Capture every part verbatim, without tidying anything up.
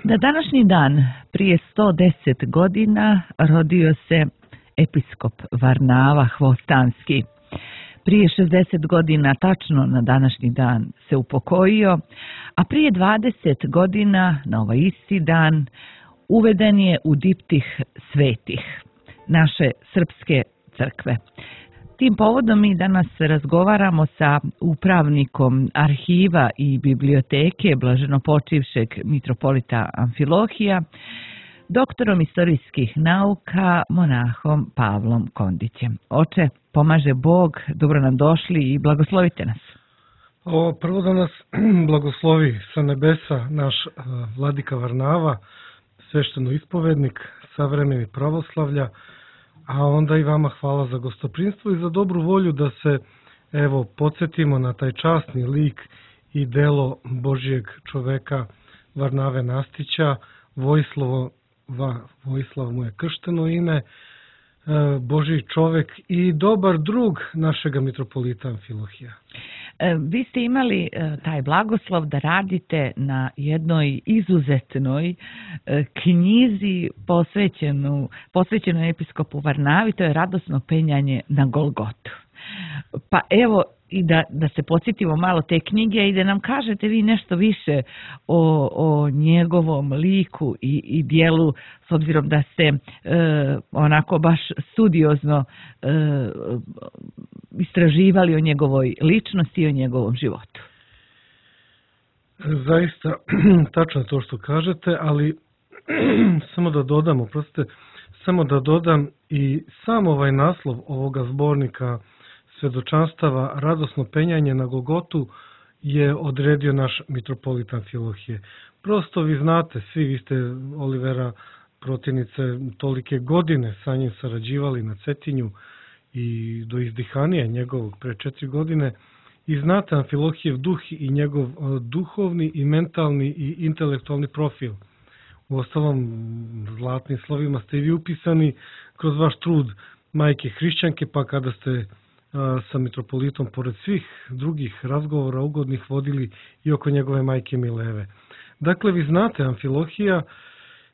Na današnji dan, prije sto deset godina, rodio se episkop Varnava Hvostanski. Prije šezdeset godina, tačno na današnji dan, se upokojio, a prije dvadeset godina, na ovaj isti dan, uveden je u diptih svetih naše srpske crkve. Tim povodom mi danas razgovaramo sa upravnikom arhiva i biblioteke blaženopočivšeg mitropolita Amfilohija, doktorom istorijskih nauka, monahom Pavlom Kondićem. Oče, pomaže Bog, dobro nam došli i blagoslovite nas. O, prvo da nas blagoslovi sa nebesa naš uh, vladika Varnava, svešteno ispovednik, savremeni pravoslavlja, a onda i vama hvala za gostoprinstvo i za dobru volju da se, evo, podsjetimo na taj časni lik i delo Božijeg čoveka Varnave Nastića. Vojislavo, va, Vojislav mu je kršteno ime, Božiji čovek i dobar drug našega mitropolita Amfilohija. Vi ste imali taj blagoslov da radite na jednoj izuzetnoj knjizi posvećenu, posvećenoj episkopu Varnavi, to je Radosno penjanje na Golgotu. Pa evo, i da, da se podsjetimo malo te knjige i da nam kažete vi nešto više o, o njegovom liku i, i dijelu, s obzirom da ste e, onako baš studiozno e, istraživali o njegovoj ličnosti i o njegovom životu. Zaista, tačno to što kažete, ali samo da dodam, oprostite, samo da dodam i sam ovaj naslov ovoga zbornika svedočanstava Radosno penjanje na Golgotu je odredio naš mitropolit Amfilohije. Prosto vi znate, svi vi ste Olivera protivnice tolike godine sa njim sarađivali na Cetinju i do izdihanija njegovog pre četiri godine i znate Amfilohijev duh i njegov duhovni i mentalni i intelektualni profil. U ostalom, zlatnim slovima ste i vi upisani kroz vaš trud majke hrišćanke, pa kada ste sa mitropolitom, pored svih drugih razgovora ugodnih, vodili i oko njegove majke Mileve. Dakle, vi znate Amfilohija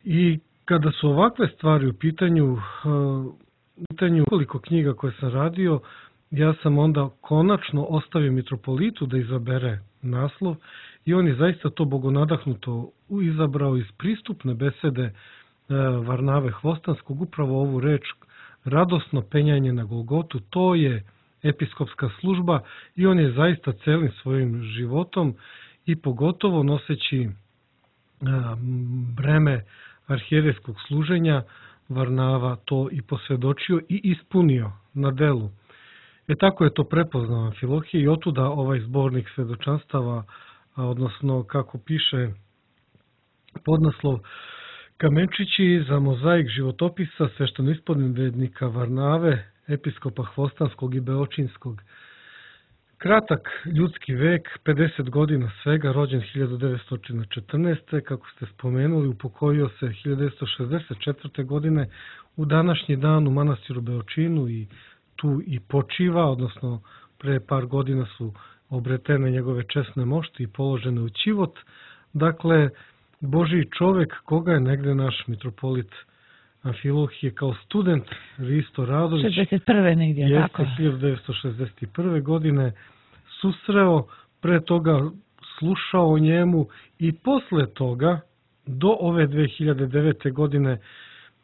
i kada su ovakve stvari u pitanju, u pitanju koliko knjiga koje sam radio, ja sam onda konačno ostavio mitropolitu da izabere naslov i on je zaista to bogonadahnuto izabrao iz pristupne besede Varnave Hvostanskog, upravo ovu reč Radosno penjanje na Golgotu. To je episkopska služba i on je zaista celim svojim životom i pogotovo noseći breme arhijerejskog služenja Varnava to i posvjedočio i ispunio na delu. E tako je to prepoznao Amfilohije i otuda ovaj zbornik svedočanstava, odnosno kako piše podnaslov, Kamenčići za mozaik životopisa sveštenoispovednika Varnave, episkopa Hvostanskog i Beočinskog. Kratak ljudski vek, pedeset godina svega, rođen hiljadu devetsto četrnaeste. Kako ste spomenuli, upokojio se hiljadu devetsto šezdeset četvrte. godine u današnji dan u manastiru Beočinu i tu i počiva, odnosno pre par godina su obretene njegove česne mošti i položene u ćivot. Dakle, Božiji čovek koga je negde naš mitropolit Amfilohije kao student Risto Radović šezdeset prve negdje, tako? hiljadu devetsto šezdeset prve. godine susreo, pre toga slušao o njemu i posle toga do ove dve hiljade devete. godine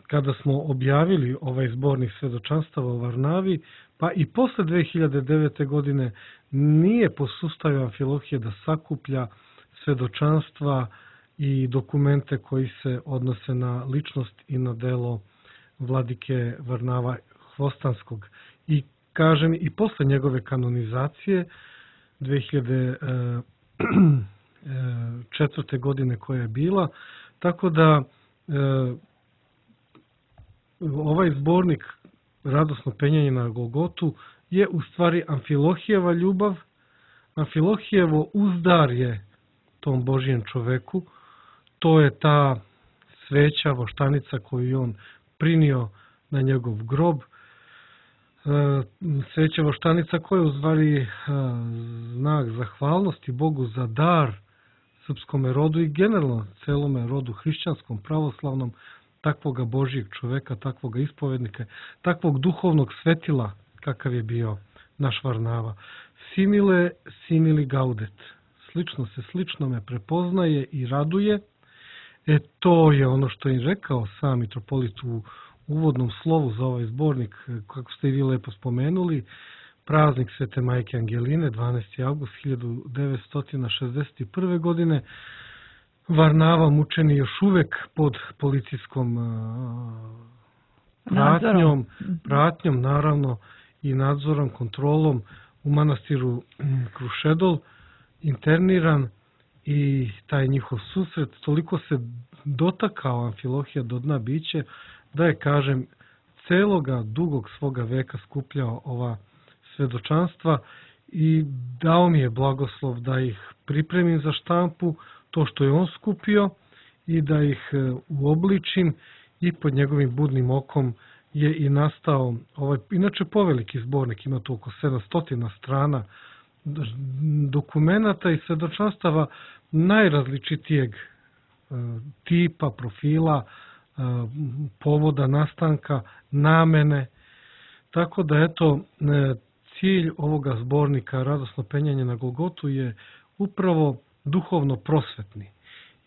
kada smo objavili ovaj zbornik svedočanstava o Varnavi, pa i posle dve hiljade devete. godine nije posustavio Amfilohije da sakuplja svedočanstva i dokumente koji se odnose na ličnost i na delo vladike Varnava Hvostanskog. I kažem, i posle njegove kanonizacije dve hiljade četvrte. godine koja je bila, tako da ovaj zbornik Radosno penjanje na Golgotu je u stvari Amfilohijeva ljubav, Amfilohijevo uzdarje tom Božijem čoveku. To je ta sveća, voštanica koju je on prinio na njegov grob. Sveća voštanica koja je u stvari znak zahvalnosti Bogu za dar srpskome rodu i generalno celome rodu hrišćanskom, pravoslavnom, takvoga Božijeg čoveka, takvoga ispovednika, takvog duhovnog svetila kakav je bio naš Varnava. Simile, simili gaudet. Slično se sličnome prepoznaje i raduje. E to je ono što je rekao sam mitropolit u uvodnom slovu za ovaj zbornik, kako ste i vi lepo spomenuli, praznik Svete Majke Angeline, dvanaesti avgust hiljadu devetsto šezdeset prve. godine. Varnava mučeni još uvek pod policijskom pratnjom, pratnjom naravno i nadzorom, kontrolom u manastiru Krušedol, interniran i taj njihov susret toliko se dotakao Amfilohija do dna biće da je, kažem, celoga dugog svoga veka skupljao ova svedočanstva i dao mi je blagoslov da ih pripremim za štampu, to što je on skupio, i da ih uobličim, i pod njegovim budnim okom je i nastao ovaj, inače poveliki zbornik, ima to oko sedamsto strana dokumenata i svedočanstava najrazličitijeg tipa, profila, povoda nastanka, namene. Tako da, eto, cilj ovoga zbornika Radosno penjanje na Golgotu je upravo duhovno prosvetni.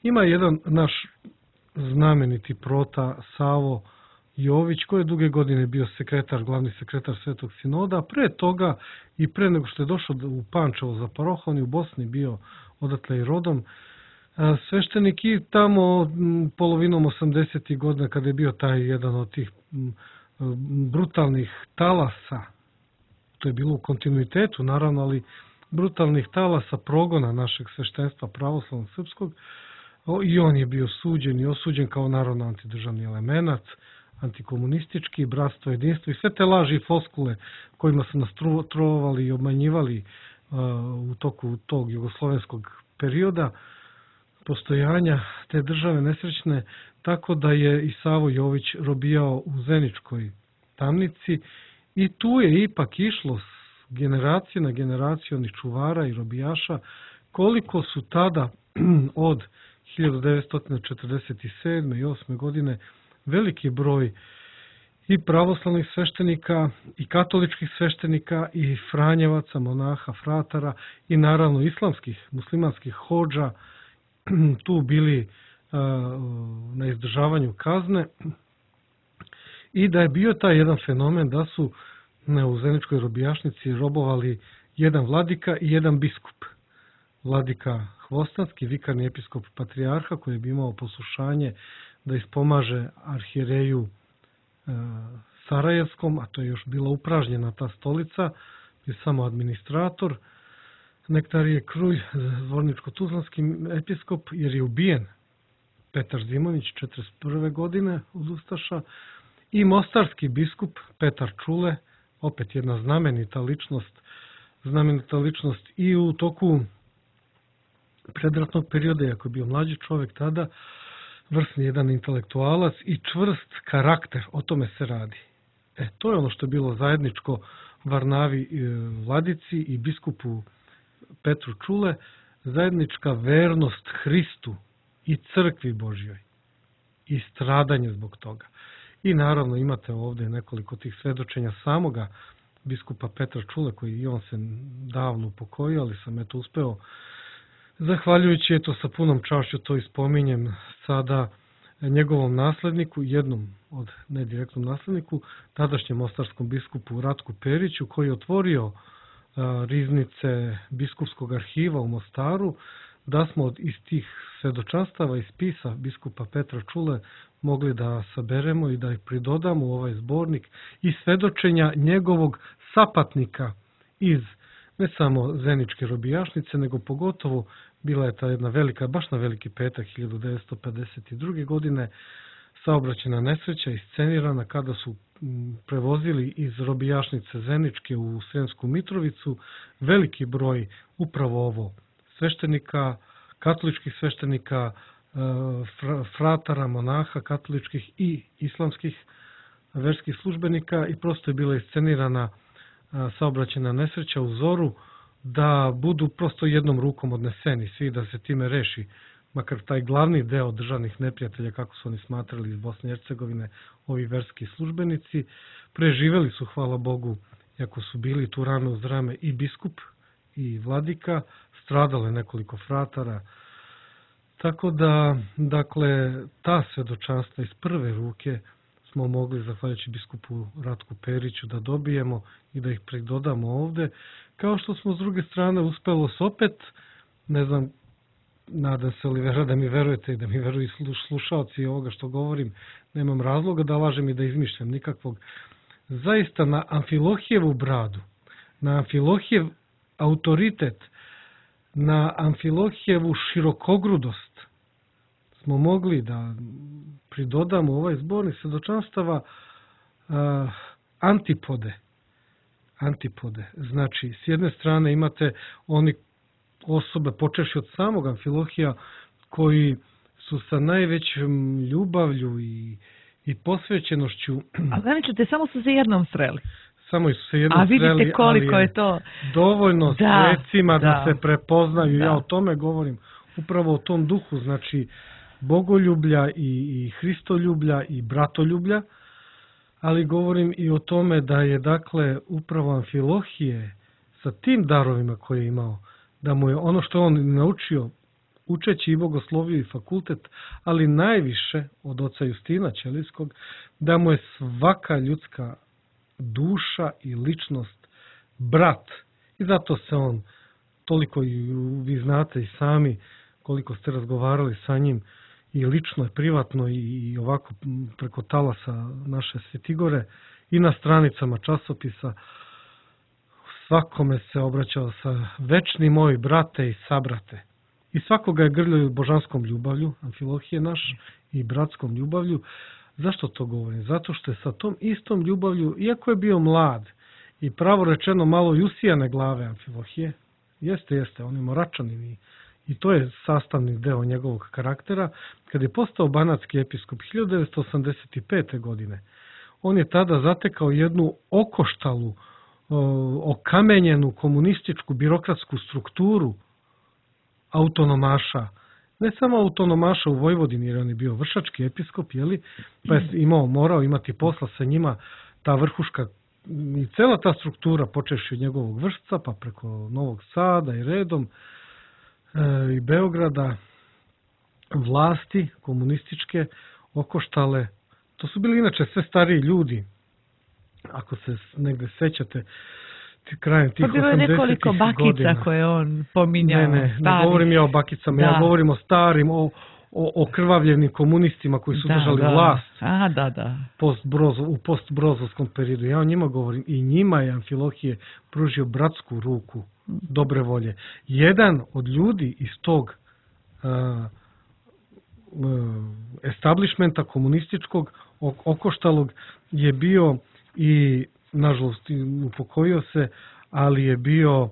Ima jedan naš znameniti prota Savo Jović, koji je duge godine bio sekretar, glavni sekretar Svetog sinoda, pre toga i pre nego što je došao u Pančevo za parohon i u Bosni bio odatle i rodom, sveštenik, i tamo polovinom osamdesetih godina, kada je bio taj jedan od tih brutalnih talasa, to je bilo u kontinuitetu naravno, ali brutalnih talasa progona našeg sveštenstva pravoslavnog srpskog, i on je bio suđen i osuđen kao narodno antidržavni elemenac, antikomunistički, bratstvo, jedinstvo i sve te laži i floskule kojima su nas trovali i obmanjivali u toku tog jugoslovenskog perioda postojanja te države nesrećne, tako da je i Savo Jović robijao u Zeničkoj tamnici i tu je ipak išlo s generacije na generaciju onih čuvara i robijaša, koliko su tada od hiljadu devetsto četrdeset sedme i osme. godine veliki broj i pravoslavnih sveštenika i katoličkih sveštenika i franjevaca, monaha, fratara i naravno islamskih, muslimanskih hodža tu bili na izdržavanju kazne, i da je bio taj jedan fenomen da su u Zeničkoj robijašnici robovali jedan vladika i jedan biskup. Vladika Hvostanski, vikarni episkop patrijarha, koji bi imao poslušanje da ispomaže arhijereju Sarajevskom, a to je još bila upražnjena ta stolica, je samo administrator. Nektarije Krulj, zvorničko-tuzlanski episkop, jer je ubijen Petar Zimović četrdeset prve. godine od Ustaša, i mostarski biskup Petar Čule, opet jedna znamenita ličnost, znamenita ličnost i u toku predratnog perioda, iako je bio mlađi čovjek tada, vrsni jedan intelektualac i čvrst karakter, o tome se radi. E, to je ono što je bilo zajedničko Varnavi vladici i biskupu Petru Čule, zajednička vernost Hristu i crkvi Božjoj i stradanje zbog toga. I naravno imate ovdje nekoliko tih svedočenja samoga biskupa Petra Čule, koji i on se davno upokojio, ali sam eto uspeo, zahvaljujući eto sa punom čašću to ispominjem sada, njegovom nasledniku, jednom od nedirektnom nasledniku, tadašnjem mostarskom biskupu Ratku Periću, koji je otvorio riznice biskupskog arhiva u Mostaru, da smo iz tih svedočanstava i spisa biskupa Petra Čule mogli da saberemo i da ih pridodamo u ovaj zbornik i svedočenja njegovog sapatnika iz ne samo Zeničke robijašnice, nego pogotovo bila je ta jedna velika, baš na Veliki petak hiljadu devetsto pedeset druge. godine saobraćajna nesreća iscenirana kada su prevozili iz robijašnice Zeničke u Sremsku Mitrovicu veliki broj upravo ovo sveštenika, katoličkih sveštenika, fratara, monaha, katoličkih i islamskih verskih službenika, i prosto je bila iscenirana saobraćajna nesreća u zoru da budu prosto jednom rukom odneseni svi, da se time reši makar taj glavni deo državnih neprijatelja, kako su oni smatrali iz Bosne i Hercegovine, ovi verski službenici. Preživeli su, hvala Bogu, iako su bili tu rame uz rame, i biskup i vladika, stradale nekoliko fratara. Tako da, dakle, ta svedočanstva iz prve ruke smo mogli, zahvaljujući biskupu Ratku Periću, da dobijemo i da ih predodamo ovde. Kao što smo s druge strane uspelo s opet, ne znam, nadam se Olivera da mi verujete i da mi veruju slušaoci ovoga što govorim, nemam razloga da lažem i da izmišljam nikakvog. Zaista na Amfilohijevu bradu, na Amfilohijev autoritet, na Amfilohijevu širokogrudost smo mogli da pridodamo ovaj zbornik svedočanstava uh, antipode. Antipode. Znači, s jedne strane imate oni osobe, počeši od samog Amfilohija, koji su sa najvećom ljubavlju i, i posvećenošću... A zamičite, samo su se jednom sreli. Samo su se jednom A vidite sreli, koliko je je to... dovoljno da, svecima da, da se prepoznaju. Da. Ja o tome govorim. Upravo o tom duhu, znači bogoljublja i, i hristoljublja i bratoljublja, ali govorim i o tome da je, dakle, upravo Amfilohije sa tim darovima koje je imao, da mu je ono što on naučio, učeći i bogosloviju i fakultet, ali najviše od oca Justina Ćelijskog, da mu je svaka ljudska duša i ličnost brat. I zato se on, toliko i vi znate i sami koliko ste razgovarali sa njim, i lično, i privatno, i ovako preko talasa naše Svetigore, i na stranicama časopisa, svakome se obraćao sa večni moj brate i sabrate. I svakoga je grlio božanskom ljubavlju, Amfilohije naš, i bratskom ljubavlju. Zašto to govorim? Zato što je sa tom istom ljubavlju, iako je bio mlad i pravo rečeno malo jusijane glave Amfilohije, jeste, jeste, on je moračanin i, i to je sastavni deo njegovog karaktera, kad je postao banatski episkop hiljadu devetsto osamdeset pete. godine, on je tada zatekao jednu okoštalu, okamenjenu komunističku birokratsku strukturu autonomaša, ne samo autonomaša u Vojvodini, jer on je bio vršački episkop, jeli, pa je imao, morao imati posla sa njima, ta vrhuška i cela ta struktura, počeši od njegovog vršca, pa preko Novog Sada i redom, e, i Beograda, vlasti komunističke okoštale. To su bili inače sve stariji ljudi, ako se negde sećate, krajem tih osamdesetih godina. Pa bilo je nekoliko bakica godina. Koje on pominjao. Ne, ne, ne govorim ja o bakicama, da. Ja govorim o starim, o, o okrvavljenim komunistima koji su da, držali da. vlast. Aha, da, da. Post -brozo, u postbrozovskom periodu. Ja o njima govorim i njima je Amfilohije pružio bratsku ruku dobre volje. Jedan od ljudi iz tog uh, uh, establishmenta komunističkog okoštalog je bio i nažalost upokojio se, ali je bio uh,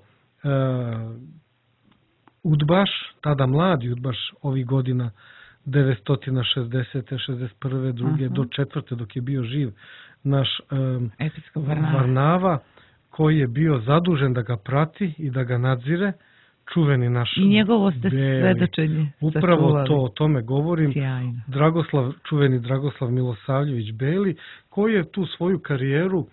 udbaš, tada mladi udbaš ovih godina devetsto šezdesete, šezdeset prve, druge uh-huh. do četvrte dok je bio živ naš um, Varnava. Varnava, koji je bio zadužen da ga prati i da ga nadzire, čuveni naš i njegovo ste Beli. Svedočenje Upravo sačuvali. to, o tome govorim. Sjajno. Dragoslav, čuveni Dragoslav Milosavljević Beli, koji je tu svoju karijeru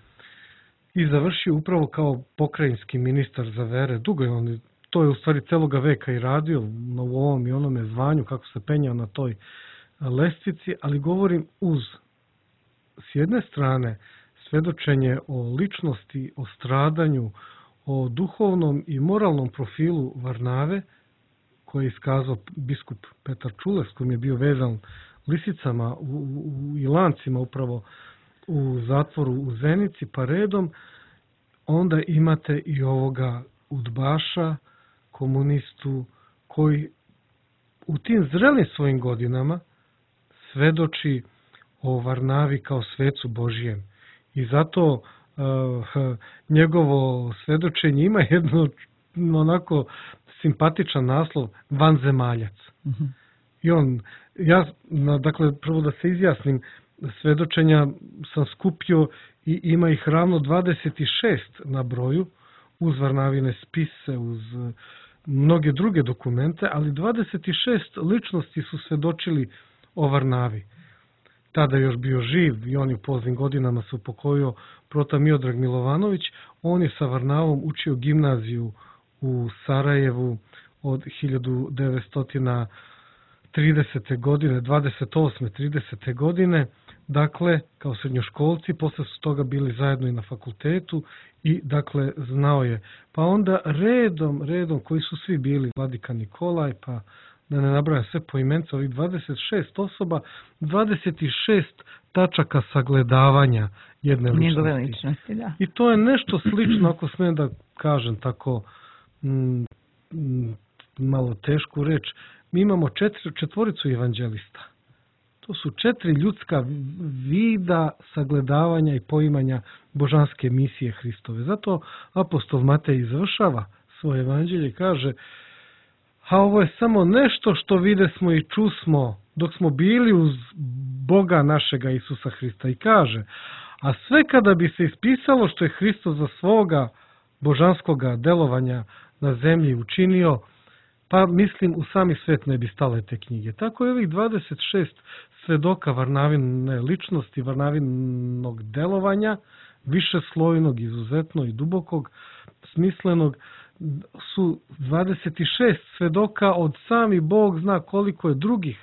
i završio upravo kao pokrajinski ministar za vere. Dugo je on, to je u stvari celoga veka i radio u ovom i onome zvanju, kako se penjao na toj lestvici, ali govorim uz, s jedne strane, svedočenje o ličnosti, o stradanju, o duhovnom i moralnom profilu Varnave, koji je iskazao biskup Petar Čules, kojim je bio vezan lisicama u, u, i lancima upravo u zatvoru u Zenici, pa redom, onda imate i ovoga udbaša, komunistu, koji u tim zrelim svojim godinama svedoči o Varnavi kao svecu Božijem. I zato uh, njegovo svedočenje ima jedno onako simpatičan naslov, vanzemaljac. Mm-hmm. I on, ja, dakle, prvo da se izjasnim, svedočenja sam skupio i ima ih ravno dvadeset šest na broju uz Varnavine spise, uz mnoge druge dokumente, ali dvadeset šest ličnosti su svedočili o Varnavi. Tada još bio živ i on je u poznim godinama se upokojio Protan Miodrag Milovanović. On je sa Varnavom učio gimnaziju u Sarajevu od hiljadu devetsto tridesete. godine, dvadeset osme tridesete. godine, dakle, kao srednjoškolci, posle su toga bili zajedno i na fakultetu i, dakle, znao je. Pa onda redom, redom, koji su svi bili, Vladika Nikolaj, pa da ne nabrajam sve po imencu, ovih dvadeset šest osoba, dvadeset šest tačaka sagledavanja jedne ličnosti. Njegove ličnosti, da. I to je nešto slično, ako smijem da kažem tako m, m, malo tešku reč. Mi imamo četiri, četvoricu evanđelista. To su četiri ljudska vida sagledavanja i poimanja božanske misije Hristove. Zato apostol Matej završava svoje evanđelje i kaže: a ovo je samo nešto što videsmo i čusmo dok smo bili uz Boga našega Isusa Hrista. I kaže: a sve kada bi se ispisalo što je Hristos za svoga božanskoga delovanja na zemlji učinio, pa mislim u sami svet ne bi stale te knjige. Tako je ovih dvadeset šest svedoka Varnavine ličnosti, Varnavinog delovanja, višeslojnog, izuzetno i dubokog, smislenog, su dvadeset šest svedoka, od sami Bog zna koliko je drugih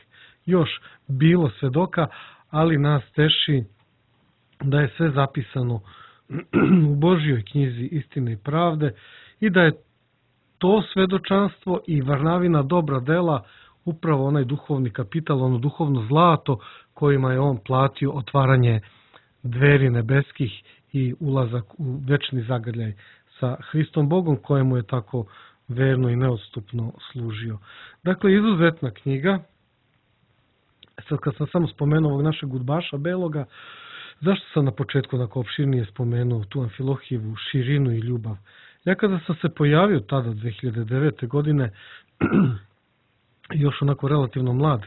još bilo svedoka, ali nas teši da je sve zapisano u Božjoj knjizi Istine i pravde i da je to svedočanstvo i Varnavina dobra dela upravo onaj duhovni kapital, ono duhovno zlato kojima je on platio otvaranje dveri nebeskih i ulazak u večni zagrljaj sa Hristom Bogom, kojemu je tako verno i neodstupno služio. Dakle, izuzetna knjiga. Sad kad sam samo spomenuo ovog našeg udbaša Beloga, zašto sam na početku onako opširnije spomenuo tu Amfilohijevu širinu i ljubav? Ja kada sam se pojavio tada dve hiljade devete. godine, još onako relativno mlad,